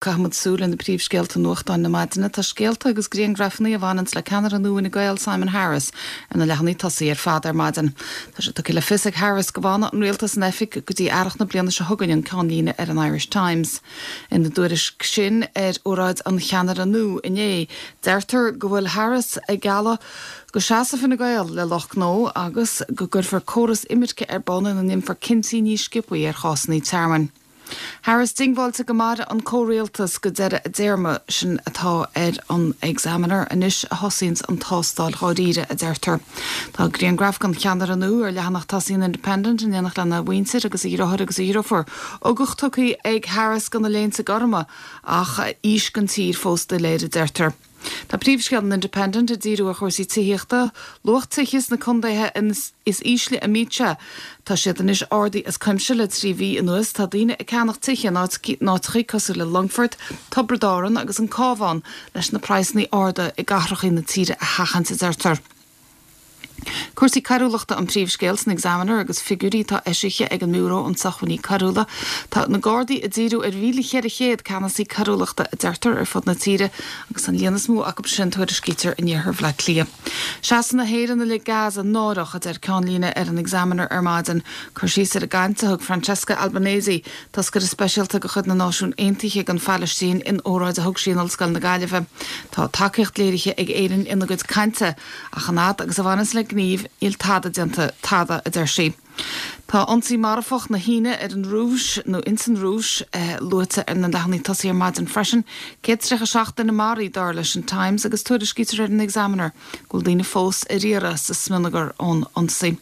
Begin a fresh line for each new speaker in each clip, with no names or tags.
Caithfimid súil ar na príomhscéalta nuachtáin na maidine. Tá scéalta agus griangrafanna a bhaineanns le ceannaire nua Fhine Gael, Simon Harris, ar na leathanaigh tosaigh ar fad ar maidin. Tá sé tugtha le fios ag Harris go bhfanfaidh an rialtas in oifig go dtí earrach na bliana seo chugainn, an ceannlíne ar an Irish Times. Ina dtuairisc sin ar óráid an cheannaire nua inné, deirtear go bhfuil Harris ag gealladh go seasfaidh Fine Gael le lucht gnó agus go gcuirfear córas imirce ar bun ina ndéanfar cinntí níos sciobthaí ar chásanna tearmainn. Harris diongbháilte go mairfidh an comhrialtas go deireadh a dtéarma, sin atá ar an Examiner. Anois a thosaíonns an tástáil dháiríre, a deirtear. Tá grianghraf den cheannaire nua ar leathanach tosaigh an Independent in éineacht lena mhuintir agus a dheartháir agus a dheirfiúr. Ugach tugtha ag Harris do na léinte gorma ach fís don tír fós doiléir, a deirtear. Tá príomhscéal an Independent ag díriú ar chúrsaí tithíochta, luach tithe sna contaetha is ísle a mbíonn sé. Tá siad anois ardaithe as cuimse le 3 mhí anuas. Tá daoine ag ceannach tithe in áiteachaí cosúil le Longfort, Tiobraid Árann agus an Cabhán leis na praghsanna arda i gcathrachaí na tíre a sheachaint, a deirtear. Cúrsaí coiriúlachta an príomhscéal san Examiner agus figiúirí atá eisithe ag an mBiúró um Sócmhainní Coiriúla. Tá na Gardaí ag díriú ar 1,400 ceannasaí coiriúlachta, a deirtear, ar fud na tíre agus an líon is mó acu sin, tuairiscítear, in iarthar Bhaile Átha Cliath. Seasamh na hÉireann i leith Gaza náireach, a deir ceannlíne ar an Examiner ar maidin. Cur síos ar an gcaint a thug Francesca Albanese, Toscaire Speisialta de chuid na Náisiún Aontaithe don Phalaistín, in óráid a thug sí in Ollscoil na Gaillimhe. Tá tacaíocht léirithe ag Éirinn ina gcuid cainte, Ach an fhad agus a bhaineas le gníomh, níl tada déanta, tada, a deir sí. Tá ionsaí marfach na hAoine ar an Rúis, nó ins an Rúis, luaite ar na leathanaigh tosaigh ar maidin freisin. 137 duine maraithe, dar leis an Times, agus tuairiscítear ar an Examiner go bhfuil daoine fós ar iarraidh sa smionagar ón ionsaí.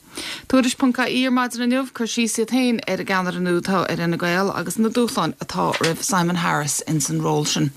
Tuairisc ponc ie ar maidin inniu, cur síos iad féin ar an gceannaire nua atá ar Fhine Gael agus na dúshláin atá roimh Simon Harris ins an ról sin.